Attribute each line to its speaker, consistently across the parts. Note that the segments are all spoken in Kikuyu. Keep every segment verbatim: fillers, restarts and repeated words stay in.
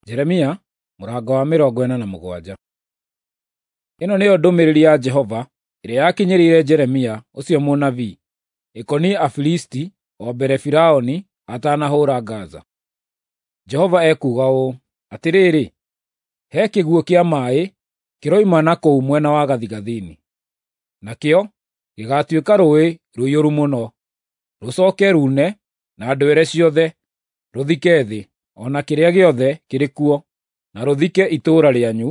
Speaker 1: Jeremia mũrango wa mĩrongo ĩna na mũgwanja. Ĩno nĩyo ndũmĩrĩri ya Jehova ĩrĩa yakinyĩrĩire Jeremia ũcio mũnabii, ĩkoniĩ Afilisti o mbere Firaũni atanahũũra Gaza. Jehova ekuuga ũũ: Atĩrĩrĩ, he kĩguũ kĩa maaĩ kĩroima na kũu mwena wa gathigathini, nakĩo gĩgaatuĩka rũũĩ rũiyũru mũno, rũcooke ruune na ndwere ciothe, rũthike thĩ, o na kĩrĩa gĩothe kĩrĩ kuo, na rũthike itũũra rĩanyu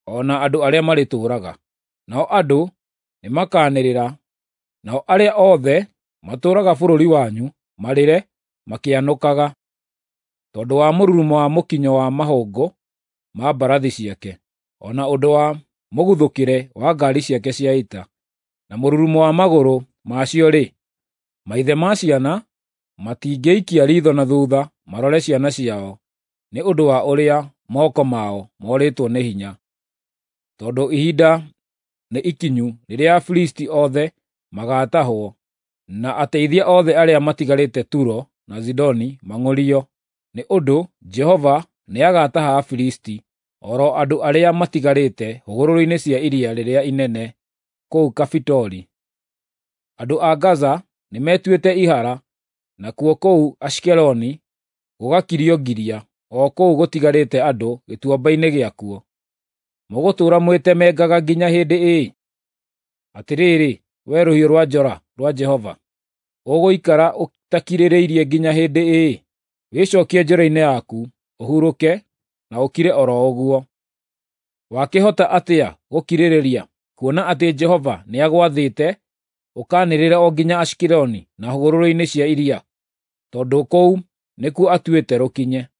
Speaker 1: o na andũ arĩa marĩtũũraga. Nao andũ nĩmakanĩrĩra, nao arĩa othe matũũraga bũrũri wanyu marĩre makĩanũkaga, tondũ wa mũrurumo wa mũkinyo wa mahũngũ ma mbarathi ciake, o na ũndũ wa mũguthũkĩre wa ngaari ciake cia ita, na mũrurumo wa magũrũ macio-rĩ, maithe ma ciana matingĩikia riitho na thuutha marore ciana ciao nĩ ũndũ wa ũrĩa moko mao morĩtwo nĩ hinya. Tondũ ihinda nĩ ikinyu rĩrĩa Afilisti othe magaatahwo, na ateithia othe arĩa matigarĩte Turo na Zidoni mang'ũrio, nĩ ũndũ Jehova nĩagataha Afilisti, o ro andũ arĩa matigarĩte hũgũrũrũ-inĩ cia iria rĩrĩa inene kũu Kafitori. Andũ a Gaza nĩmetuĩte ihara, nakuo kũu Ashikeloni gũgakirio ngiria, o kũu gũtigarĩte andũ gĩtuamba-inĩ gĩakuo. Mũgũtũũra mwĩtemangaga nginya hĩndĩ ĩ? Atĩrĩrĩ, wee rũhiũ rwa njora rwa Jehova, ũgũikara ũtakirĩrĩirie nginya hĩndĩ ĩ? Wĩcookie njora-inĩ yaku, ũhurũke, na ũkire o ro ũguo. Wakĩhota atĩa gũkirĩrĩria, kuona atĩ Jehova nĩagwathĩte ũkaanĩrĩre o nginya Ashikeloni na hũgũrũrũ-inĩ cia iria, tondũ kũu nĩkuo atuĩte rũkinye?